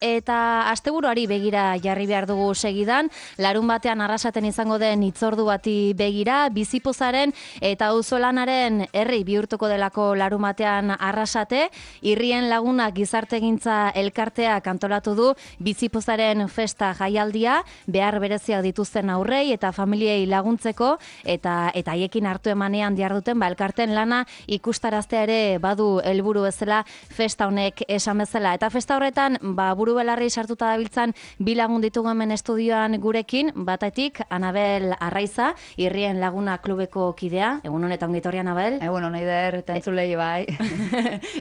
eta asteburuari begira jarri behar dugu segidan, larun batean Arrasaten izango den hitzordu bati begira, Bizipozaren eta auzolanaren herri bihurtuko delako larun batean Arrasate, Irrien Lagunak Gizartegintza elkarteak antolatu du Bizipozaren festa jaialdia, behar bereziak dituzten aurrei eta familiei laguntzeko, eta haiekin hartu emanean diharduten elkarten lana ikustaraztea ere badu helburu bezala festa honek esan bezala. Eta festa horretan, buru belarri sartuta dabiltzan bi lagun ditugu hemen estudioan gurekin, batetik Anabel Arraiza, Irrien Laguna klubeko kidea. Egun honetan ongi etorri, Anabel. Egun hon eider, eta entzulei bai.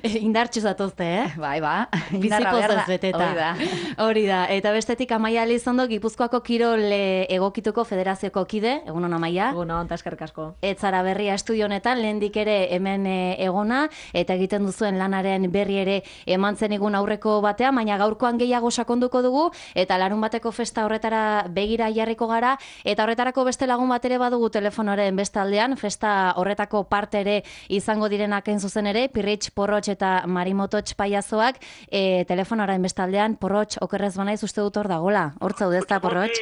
Indartxu zatozte, Bai, ba. Bizipozaz beteta. Hori da. Eta bestetik Amaia Elizondo, Gipuzkoako Kirol Egokituko Federazioko kide. Egun hon, Amaia. Egun hon, eskerrik asko. Etzara berria estudio honetan, lehendik ere hemen egona, eta egiten duzuen lanaren berri ere eman zenigun aurreko batean, baina gaurkoan gehiago sakonduko dugu, eta larun bateko festa horretara begira jarriko gara, eta horretarako beste lagun bat ere badugu telefonoren bestaldean, festa horretako parte ere izango direnak hain zuzen ere, Pirritx, Porrotx eta Marimototx paiazoak, telefonoren bestaldean, Porrotx, okerrez banaiz uste dut hor dagola. Hor zaudezta, Porrotx?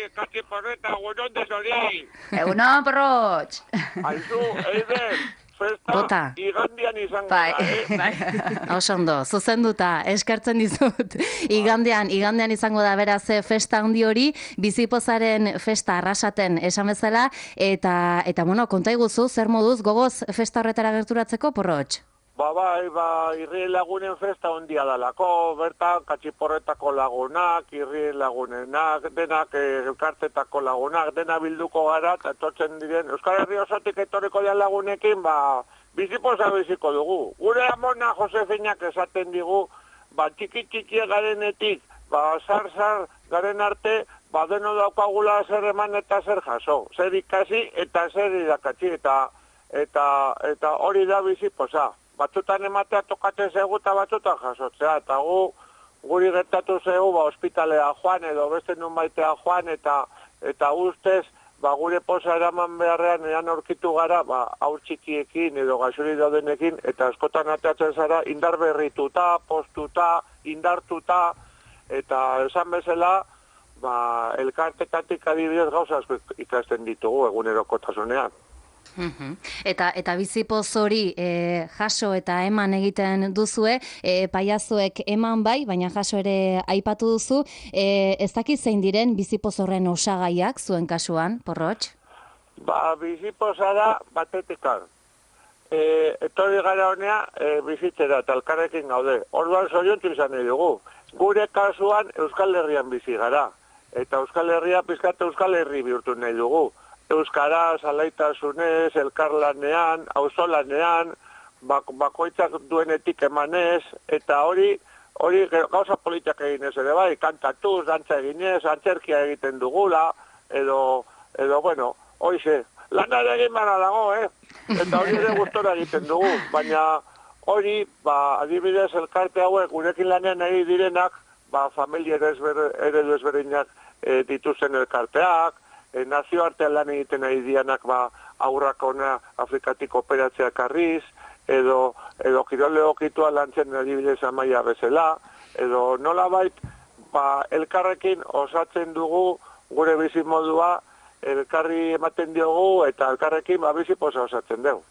Egunon, Porrotx! Aizu, Eider, festa igandian izango da, Bai. Oso ondo, zuzenduta, eskertzen dizut. Igandean izango da beraz festa handi hori, Bizipozaren festa Arrasaten esan bezala, eta bueno, konta iguzu, zer moduz gogoz festa horretara gerturatzeko, Porrotx? Bai, Irrien Lagunen festa ondia dalako, bertan Katxiporretako lagunak, Irrien Lagunenak, denak elkartetako lagunak, dena bilduko gara, eta etortzen diren, Euskal Herri osotik etorriko dian lagunekin, Bizipoza biziko dugu. Gure amona Josefinak esaten digu, txiki garenetik, zar garen arte, deno daukagula zer eman eta zer jaso, zer ikasi eta zer irakatsi, eta hori da Bizipoza. Batzutan ematea tokatzen zegu eta batzutan jasotzea, eta guri gertatu zegu ospitalea joan edo beste nun baitea joan, eta ustez gure poza eraman beharrean eran aurkitu gara haur txikiekin edo gaixuri daudenekin, eta askotan ateatzen zara indar berrituta, postuta, indartuta, eta esan bezala elkartetatik adibidez gauza asko ikasten ditugu egunerokotasunean. Eta Bizipoz hori jaso eta eman egiten duzue, paiazoek eman bai, baina jaso ere aipatu duzu, ez dakit zein diren Bizipoz horren osagaiak zuen kasuan, Porrotx? Bizipoza da batetikar. Etorri gara honea bizitzera eta elkarrekin gaude. Orduan zoriontu izan nahi dugu. Gure kasuan Euskal Herrian bizi gara. Eta Euskal Herria pizkate Euskal Herri bihurtu nahi dugu. Euskaraz, alaitasunez, elkarlanean, auzolanean, bakoitzak duenetik emanez, eta hori gauza politak eginez ere bai, kantatuz, dantza eginez, antzerkia egiten dugula, edo bueno, hoize, lanara egin bana dago, eta hori ere gustora egiten dugu, baina hori, adibidez elkarte hauek, gurekin lanean ari direnak, familia eredu ezberdinak dituzten elkarteak, nazioartean lan egiten ari dianak aurrak ona Afrikatik operatzeak arriz, edo kirole okitua lantzen adibidez Amaia bezala, edo nolabait elkarrekin osatzen dugu gure bizimodua, elkarri ematen diogu eta elkarrekin bizipoza osatzen dugu.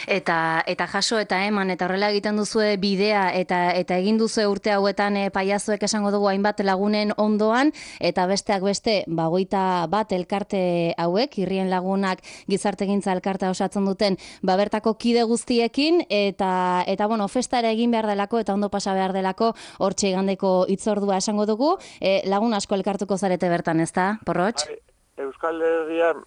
Eta jaso eta eman, eta horrela egiten duzue bidea, eta egin duzue urte hauetan paiazoek esango dugu hainbat lagunen ondoan, eta besteak beste, 21 elkarte hauek, Irrien Lagunak Gizartegintza elkartea osatzen duten, bertako kide guztiekin, eta bueno, festa ere egin behar delako, eta ondo pasa behar delako, hortxe igandeko hitzordua esango dugu, lagun asko elkartuko zarete bertan, ezta, Porrotx? Euskal Herrian,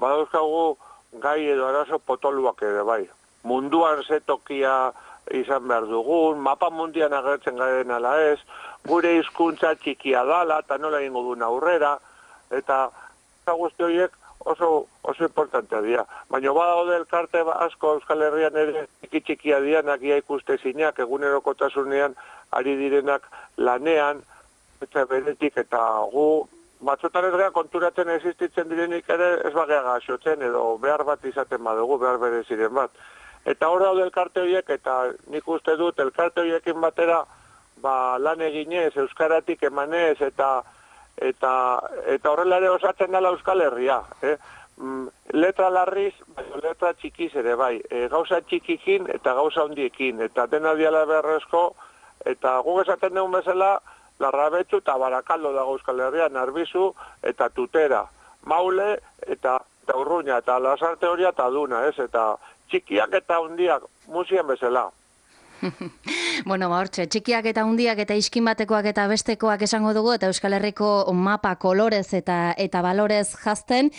badauzkagu gai edo arazo potoluak ere bai. Munduan zetokia izan behar dugun, mapa mundian agertzen garen ala ez, gure hizkuntza txikia dala, eta nola egingo duen aurrera, eta guzti horiek oso importantea dira. Baina badaude elkarte asko Euskal Herrian ere txikia dianak, ia ikustezinak, egunerokotasunean ari direnak lanean, eta beretik, eta batzutan ez gara konturatzen existitzen direnik ere ez bagea gaxotzen edo behar bat izaten badugu, behar bereziren bat. Eta hor daude elkarte horiek, eta nik uste dut elkarte horiekin batera lan eginez, euskaratik emanez, eta horrela ere osatzen dela Euskal Herria. Letra larriz, letra txikiz ere bai. Gauza txikikin eta gauza handiekin. Eta dena diala beharrezko, eta guk esaten dugun bezala, Larrabetzu eta Barakaldo dago Euskal Herrian, Arbizu eta Tutera. Maule eta Urruña, eta Lasarte Horia eta Duna, ez? Eta txikiak eta handiak, musien bezala. Bueno, hortxe, txikiak eta hundiak eta iskin batekoak eta bestekoak esango dugu, eta Euskal Herriko mapa kolorez eta balorez jazten.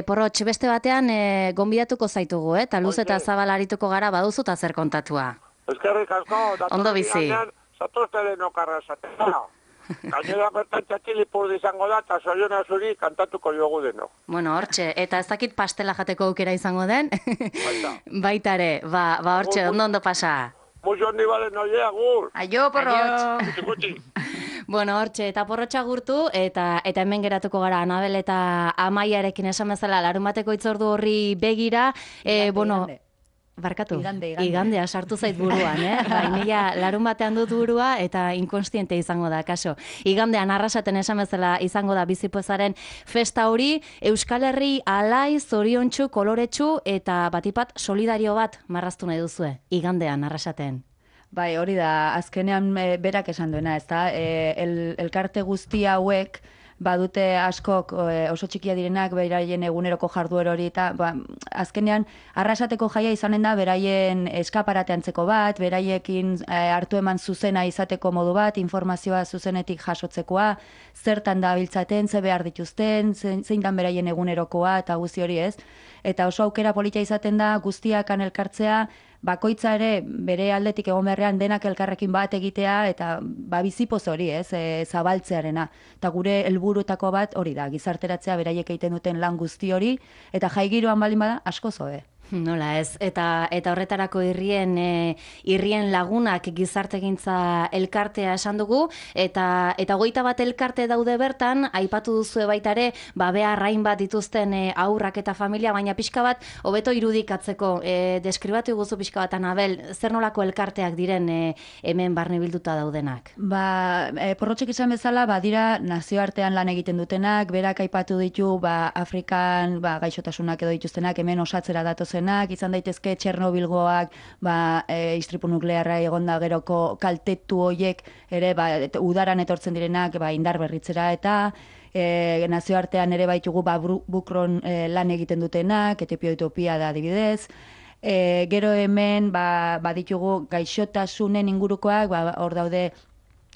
Porrotx, beste batean gonbidatuko zaitugu, eta luz eta zabal arituko gara baduzu eta zer kontatua. Eskerrik asko, ondo bizi. Zatoztelen okarra esatea. Gainera bertan txatxilipurdi izango da, eta Zoiona zuri kantatuko jogu deno. Bueno, hortxe, eta ez dakit pastela jateko aukera izango den? Baitare, hortxe, ondo pasa. Muxo handi balen oie, agur. Aio, porrotx. Bueno, hortxe, eta porrotxa gurtu, eta hemen geratuko gara Anabel eta Amaiarekin esan bezala larunbateko itzordu horri begira. Barkatu, igandea sartu zait buruan, Nila larun batean dut burua eta inkonstiente izango da, kaso. Igandean arrasaten esan bezala izango da bizipozaren festa hori, Euskal Herri alai, zoriontsu, koloretsu eta batipat solidario bat marraztu nahi duzue, igandean arrasaten. Bai, hori da, azkenean berak esan duena, ez da? Elkarte guzti hauek, badute askok oso txikia direnak beraien eguneroko jarduero hori eta azkenean arrasateko jaia izanen da beraien eskaparate antzeko bat, beraiekin hartu eman zuzena izateko modu bat, informazioa zuzenetik jasotzekoa, zertan da biltzaten, ze behar dituzten, zein dan beraien egunerokoa eta guzti hori ez. Eta oso aukera polita izaten da guztiakan elkartzea, bakoitza ere bere aldetik egon beharrean denak elkarrekin bat egitea eta bizipoz hori, zabaltzearena. Eta gure helburuetako bat hori da, gizarteratzea beraiek egiten duten lan guzti hori, eta jaigiroan baldin bada asko zoe. Nola ez, eta horretarako irrien lagunak gizartegintza elkartea esan dugu, eta 21 elkarte daude bertan, aipatu duzue baita ere, behar hainbat dituzten haurrak eta familia, baina pixka bat, hobeto irudikatzeko, deskribatu guzu pixka bat, Anabel, zer nolako elkarteak diren hemen barne bilduta daudenak? Porrotxek izan bezala, dira nazioartean lan egiten dutenak, berak aipatu ditu, Afrikan gaixotasunak edo dituztenak, hemen osatzera datozen, izan daitezke Txernobilgoak, istripu nuklearra egonda geroko kaltetu hoiek ere udaran etortzen direnak indar berritzera eta nazioartean ere baitugu bukron lan egiten dutenak, Etipio Utopia da adibidez. Gero hemen baditugu gaixotasunen ingurukoak, hor daude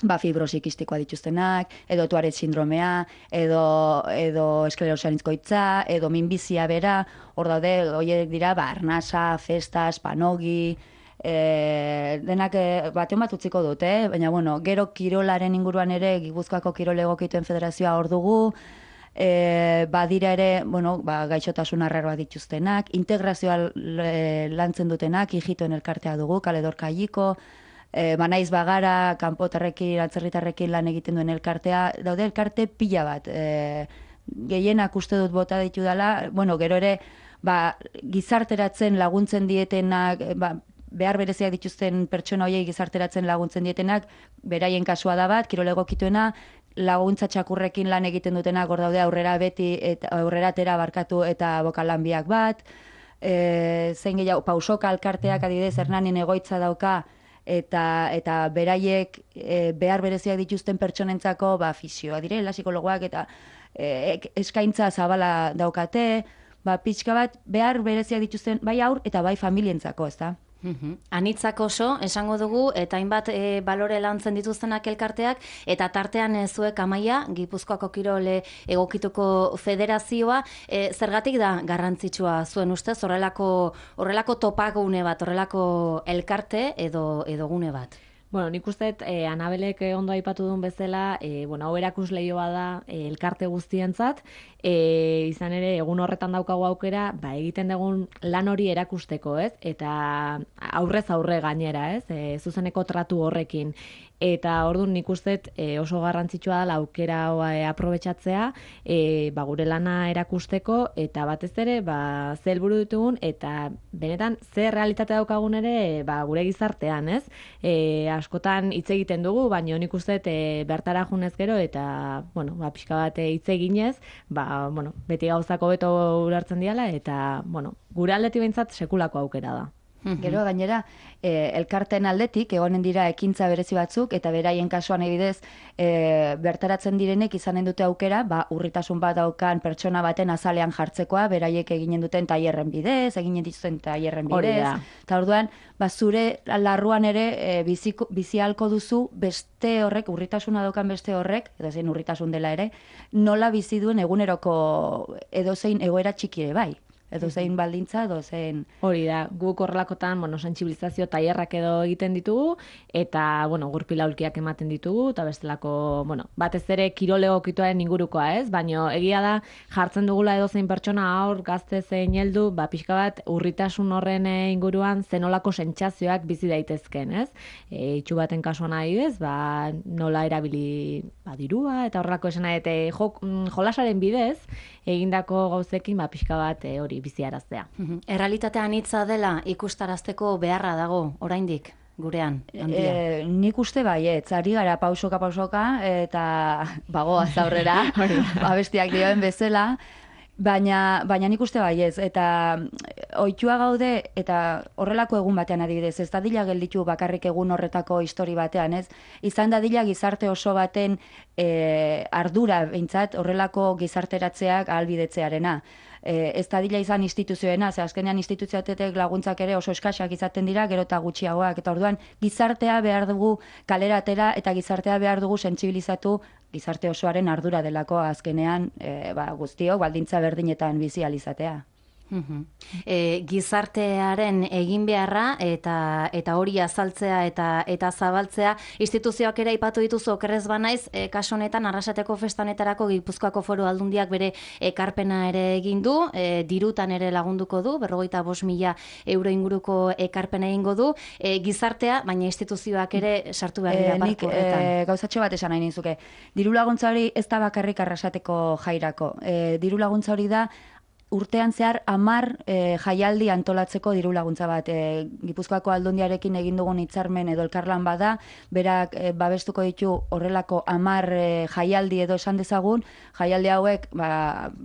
fibrosikistikoa dituztenak, edo Tuaret sindromea, edo esklerosa anizkoitza, edo minbizia bera, hor daude, horiek dira, arnasa, festas, panogi, denak batean bat utziko dut, baina, gero kirolaren inguruan ere, Gipuzkoako kirol egokituen federazioa hor dugu, badira ere, gaixotasun arraroa dituztenak, integrazioa lantzen dutenak, hijitoen elkartea dugu, Kaledorka Aiko, Naiz bagara, kanpotarrekin, atzerritarrekin lan egiten duen elkartea, daude elkarte pila bat. Gehienak uste dut bota ditu dela, gero ere, gizarteratzen laguntzen dietenak, behar bereziak dituzten pertsona horiei gizarteratzen laguntzen dietenak, beraien kasua da bat, kirol egokituena, laguntza txakurrekin lan egiten dutenak, hor daude aurrera beti, aurrera tera barkatu eta bokalanbiak bat, zein gehiago, pausoka elkarteak adibidez, Hernanin egoitza dauka, eta beraiek behar bereziak dituzten pertsonentzako fisioa direla, psikologoak eta eskaintza zabala daukate, pixka bat behar bereziak dituzten bai haur eta bai familientzako, ez da? Anitzak oso, esango dugu, eta hainbat balore lantzen dituztenak elkarteak, eta tartean zuek Amaia, Gipuzkoako kirol egokituko federazioa, zergatik da garrantzitsua zuen ustez, horrelako topagune bat, horrelako elkarte edo gune bat? Nik uste, Anabelek ondo aipatu duen bezala, hau erakusleioa da elkarte guztientzat, izan ere, egun horretan daukagu aukera, egiten dugun lan hori erakusteko, ez? Eta aurrez aurre gainera, ez? Zuzeneko tratu horrekin. eta orduan nik uste oso garrantzitsua da aukera hau aprobetxatzea, gure lana erakusteko, eta batez ere, ze helburu ditugun, eta benetan, ze realitate daukagun ere, gure gizartean, ez? Askotan hitz egiten dugu, baina nik uste bertara junez gero, eta, pixka bat hitz eginez, beti gauzako beto ulertzen diala, eta, gure aldetik behintzat sekulako aukera da. Gero gainera, elkarten aldetik egonen dira ekintza berezi batzuk, eta beraien kasuan ebidez bertaratzen direnek izanen dute aukera, urritasun bat daukan pertsona baten azalean jartzekoa, beraiek eginen duten tailerren bidez, eginen dituzten tailerren bidez, eta orduan, zure larruan ere bizi ahalko duzu beste horrek, urritasuna daukan beste horrek, edo zein urritasun dela ere, nola bizi duen eguneroko edozein egoera txiki ere bai. Edo zein baldintza, edo zein... Hori da, guk horrelakotan, sentsibilizazio tailerrak edo egiten ditugu, eta, gurpil aulkiak ematen ditugu, eta bestelako, batez ere kirol egokituaren ingurukoa, ez? Baina egia da, jartzen dugula edo zein pertsona aur, gazte zein heldu, pixka bat, urritasun horren inguruan zenolako sentsazioak bizi daitezken, ez? Itxu baten kasuan adibidez, nola erabili dirua, eta horrelako esena, eta jolasaren bidez, egindako gauzekin, pixka bat hori biziaraztea. Errealitatean hitza dela ikustarazteko beharra dago, oraindik, gurean, handia. Nik uste baietz, ari gara pausoka, eta bagoaz aurrera, abestiak dioen bezala, baina nik uste baietz, eta ohitua gaude, eta horrelako egun batean adibidez, ez dadila gelditu bakarrik egun horretako histori batean, ez? Izan dadila gizarte oso baten ardura, behintzat, horrelako gizarteratzeak ahalbidetzearena. Ez dadila izan instituzioena, ze azkenean instituzioatetek laguntzak ere oso eskaxak izaten dira, gero eta gutxiagoak, eta orduan gizartea behar dugu kalera atera, eta gizartea behar dugu sentsibilizatu gizarte osoaren ardura delako azkenean guztiok baldintza berdinetan bizi ahal izatea. Gizartearen egin beharra eta hori azaltzea eta zabaltzea, instituzioak ere aipatu dituzu okerrez banaiz, kasu honetan Arrasateko festanetarako Gipuzkoako Foru Aldundiak bere ekarpena ere egin du, dirutan ere lagunduko du, 55.000 euro inguruko ekarpena egingo du, gizartea, baina instituzioak ere sartu behar dira barko horretan. Gauzatxo bat esan nahi nizuke. Diru laguntza hori ez da bakarrik Arrasateko jairako. Diru laguntza hori da urtean zehar 10 jaialdi antolatzeko diru laguntza bat. Gipuzkoako Aldundiarekin egin dugun hitzarmen edo elkarlan bada, berak babestuko ditu horrelako 10 jaialdi edo esan dezagun, jaialdi hauek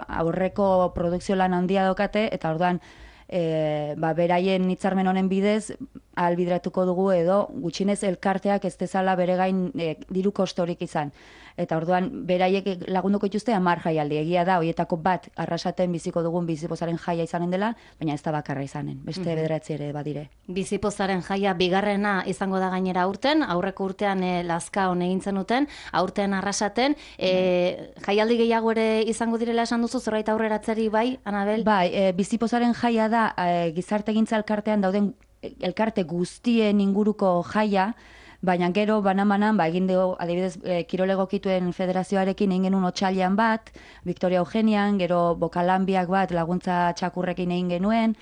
aurreko produkzio lan handia daukate, eta orduan beraien hitzarmen honen bidez ahalbideratuko dugu edo gutxinez elkarteak ez dezala bere gain diru kostorik izan. Eta orduan beraiek lagunduko dituzte 10 jaialdi. Egia da, horietako bat Arrasaten biziko dugun bizipozaren jaia izanen dela, baina ez da bakarra izanen. Beste 9 ere badire. Bizipozaren jaia bigarrena izango da gainera aurten, aurreko urtean Lazkaon egin zenuten, aurten Arrasaten, jaialdi gehiago ere izango direla esan duzu, zerbait aurreratzeri bai, Anabel? Bai, bizipozaren jaia da gizartegintza elkartean dauden elkarte guztien inguruko jaia, baina gero banan-banan, egin dugu, adibidez, kirol egokituen federazioarekin egin genuen otsailean bat, Victoria Eugenian, gero Bokalanbiak bat laguntza txakurrekin egin genuen,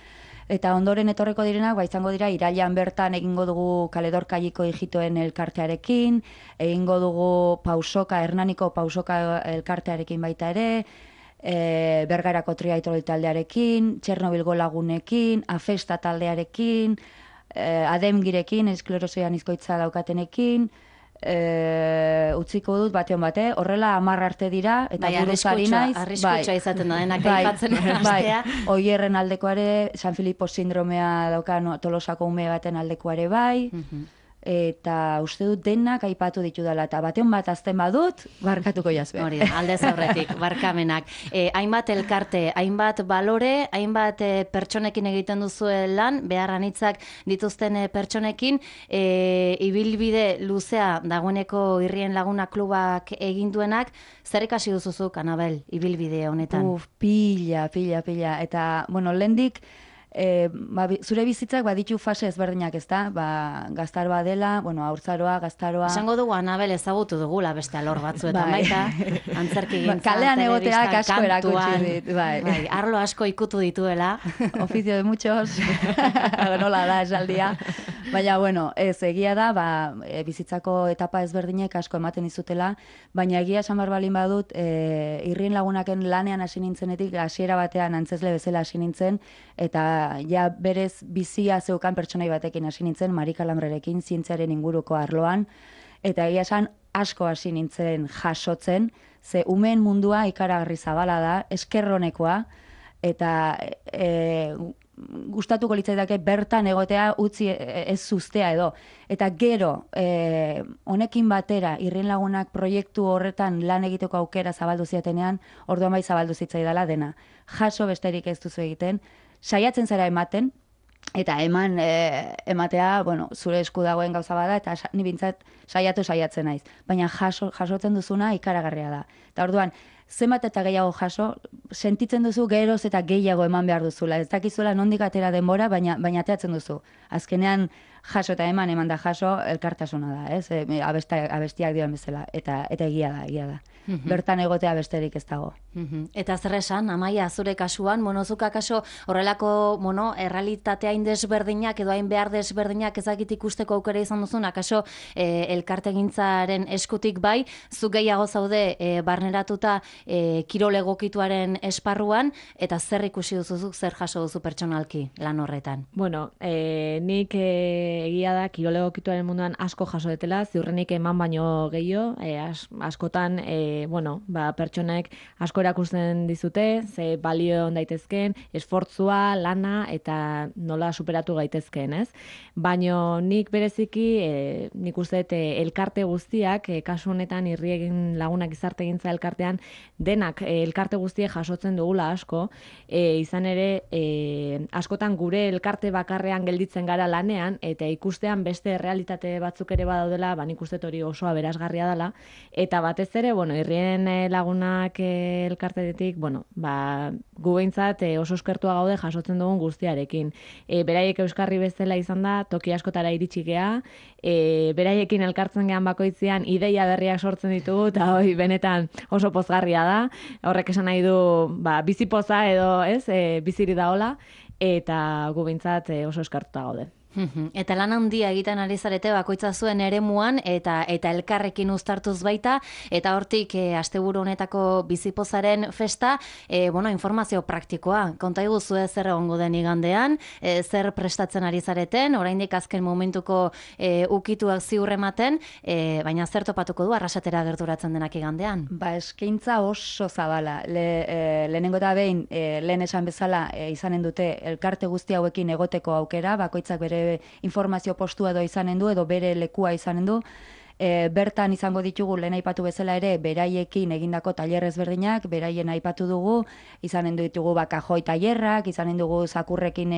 eta ondoren etorreko direnak, izango dira, irailean bertan egingo dugu Kaledorkaiko hijitoen elkartearekin, egingo dugu Hernaniko pausoka elkartearekin baita ere, Bergarako Triaitrol taldearekin, Txernobilgo lagunekin, Afesta taldearekin, Ademgirekin, esklerosoian izkoitza daukatenekin, utziko dut batean bate, horrela 10 arte dira, eta buruz ari naiz. Arriskutsa izaten da, denak aipatzen hastea. Oierren aldekoare, San Filipo sindromea daukan Tolosako ume baten aldekoare bai, eta uste dut denak aipatu ditu dela, eta batean bat azten badut, barkatuko jazbe. Hori da, aldez aurretik, barkamenak. Hainbat elkarte, hainbat balore, hainbat pertsonekin egiten duzuen lan, beharran hitzak dituzten pertsonekin, ibilbide luzea dagoeneko Irrien Laguna Klubak egin duenak, zer ikasi duzuzuk, Anabel, ibilbide honetan? Pila, eta, lehendik, zure bizitzak baditu fase ezberdinak, ezta? Gaztaroa dela, haurtzaroa, gaztaroa. Esango dugu Anabel ezagutu dugula beste alor batzuetan baita, antzerki gintza, kalean egoteak asko erakutsi dit. Arlo asko ikutu dituela. Oficio de muchos, nola da esaldia. Baina, bueno, ez, egia da, bizitzako etapa ezberdinek asko ematen izutela, baina egia esan behar balin badut, Irrien Lagunaken lanean hasi nintzenetik, hasiera batean antzesle bezala hasi nintzen, eta ja berez bizia zeukan pertsonai batekin hasi nintzen, Marika Lambrerekin, zientziaren inguruko arloan, eta egia esan asko hasi nintzen jasotzen, ze umeen mundua ikaragarri zabala da, eskerronekoa, eta gustatuko litzaidake bertan egotea utzi ez zuztea edo. Eta gero, honekin batera, Irrien Lagunak proiektu horretan lan egiteko aukera zabaldu ziatenean, orduan bai zabaldu zitzaidala dena. Jaso besterik ez duzu egiten, saiatzen zara ematen, eta ematea, bueno, zure esku dagoen gauza bada, eta ni bintzat saiatzen naiz. Baina jasotzen duzuna ikaragarria da. Eta orduan, zenbat eta gehiago jaso, sentitzen duzu geroz eta gehiago eman behar duzula. Ez dakizuela nondik atera denbora, baina ateatzen duzu. Azkenean jaso eta eman da jaso, elkartasuna da, ez? Abestiak dioan bezala, eta egia da. Bertan egotea besterik ez dago. Eta zer esan, Amaia, zure kasuan, monozuka kaso horrelako, errealitatea hain desberdinak edo hain behar desberdinak ezakit ikusteko aukera izan duzun, akaso elkartegintzaren eskutik bai, zu gehiago zaude barneratuta kirol egokituaren esparruan, eta zer ikusi duzuzuk, zer jaso duzu pertsonalki lan horretan? Bueno, nik egia da kirol egokituaren munduan asko jaso detela, ziurrenik eman baino gehiago, askotan pertsonek asko erakusten dizute, ze balio daitezkeen, esfortzua, lana eta nola superatu gaitezkeen, ez? Baino nik bereziki, nik uste elkarte guztiak, kasu honetan Irrien Lagunak gizartegintza elkartean, denak elkarte guztiek jasotzen dugula asko, izan ere, askotan gure elkarte bakarrean gelditzen gara lanean, eta ikustean beste realitate batzuk ere badaudela, nik uste hori oso aberasgarria dela, eta batez ere, Irrien Lagunak elkartetik, gu behintzat oso eskertua gaude jasotzen dugun guztiarekin. Beraiek euskarri bezala izan da, toki askotara iritsi gea, beraiekin elkartzen gean bakoitzean ideia berriak sortzen ditugu, eta benetan oso pozgarria da. Horrek esan nahi du, bizipoza edo, ez, biziri daola, eta gu behintzat oso eskertuta gaude. Eta lan handia egiten ari zarete bakoitza zuen eremuan eta elkarrekin uztartuz baita, eta hortik asteburu honetako bizipozaren festa, informazio praktikoa. Konta iguzu zer egongo den igandean, zer prestatzen ari zareten, oraindik azken momentuko ukituak ziurrematen, baina zer topatuko du arrasatera gerturatzen denak igandean? Eskaintza oso zabala. Lehenengo eta behin, lehen esan bezala izanen dute elkarte guzti hauekin egoteko aukera, bakoitzak bere informazio postua edo izanen du, edo bere lekua izanen du. Bertan izango ditugu lehen aipatu bezala ere beraiekin egindako tailer ezberdinak, beraien aipatu dugu, izanen ditugu kajoi tailerrak, izanen dugu zakurrekin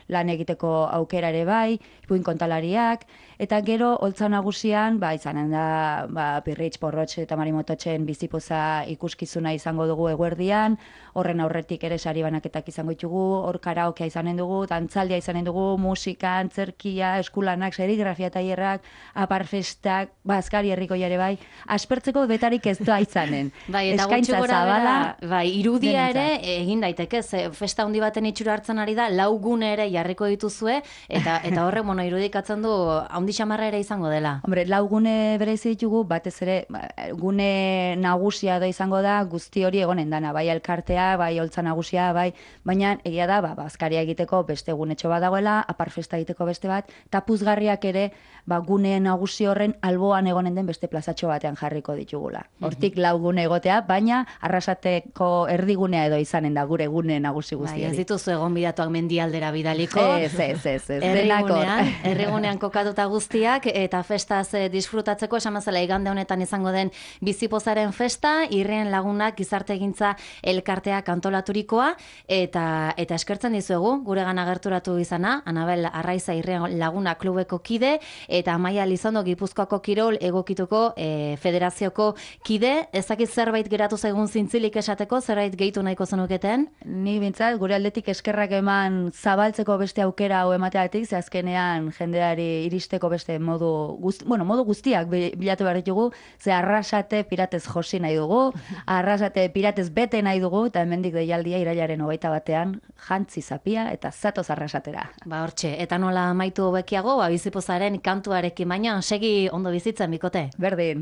lan egiteko aukera ere bai, ipuin kontalariak, eta gero holtza nagusian izanen da Pirritx, Porrotx eta Marimototxen bizipoza ikuskizuna izango dugu eguerdian, horren aurretik ere sari banaketak izango ditugu, hor karaokea izanen dugu, dantzaldia izanen dugu, musika, antzerkia, eskulanak, serigrafia tailerrak, aparfestak, Azkari herrikoia ere bai, aspertzeko betarik ez da izanen. Eta gutxi gora bera, irudia ere egin daiteke, festa handi baten itxura hartzen ari da, 4 gune ere jarriko dituzue, eta horre irudikatzen du handi xamarra ere izango dela. Hombre, 4 gune berezi ditugu, batez ere, gune nagusia da izango da, guzti hori egonen dana, bai elkartea, bai holtza nagusia, bai, baina egia da, Azkaria egiteko beste gunetxo bat dagoela, aparfesta egiteko beste bat, eta puzgarriak ere, gune nagusi horren alboan egonen den beste plazatxo batean jarriko ditugula. Hortik 4 gune egotea, baina arrasateko erdigunea edo izanen da gure gune nagusi guztiari. Ez dituzu egon bidatuak mendialdera bidaliko. Ez. Errigunean kokatuta guztiak, eta festaz disfrutatzeko, esamazela igande honetan izango den bizipozaren festa, Irrien Lagunak gizartegintza elkarteak antolaturikoa, eta eskertzen dizuegu, gure gana gerturatu izana, Anabel Arraiza Irrien Lagunak klubeko kide, eta Amaia Lizondo Gipuzkoako Gipuzkoako kirol egokituko federazioko kide, ezakit zerbait geratu zaigun zintzilik esateko, zerbait gehitu nahiko zenuketen? Ni bintzat, gure aldetik eskerrak eman zabaltzeko beste aukera hau emateatik, ze azkenean jendeari iristeko beste modu guztiak bilatu behar ditugu, ze Arrasate piratez josi nahi dugu, Arrasate piratez bete nahi dugu, eta hemendik deialdia irailaren 21 jantzi zapia eta zatoz Arrasatera. Ba hortxe, eta nola amaitu bekiago, bizipozaren kantuarekin baina, segi ondo bizitzen bikote. Berdin.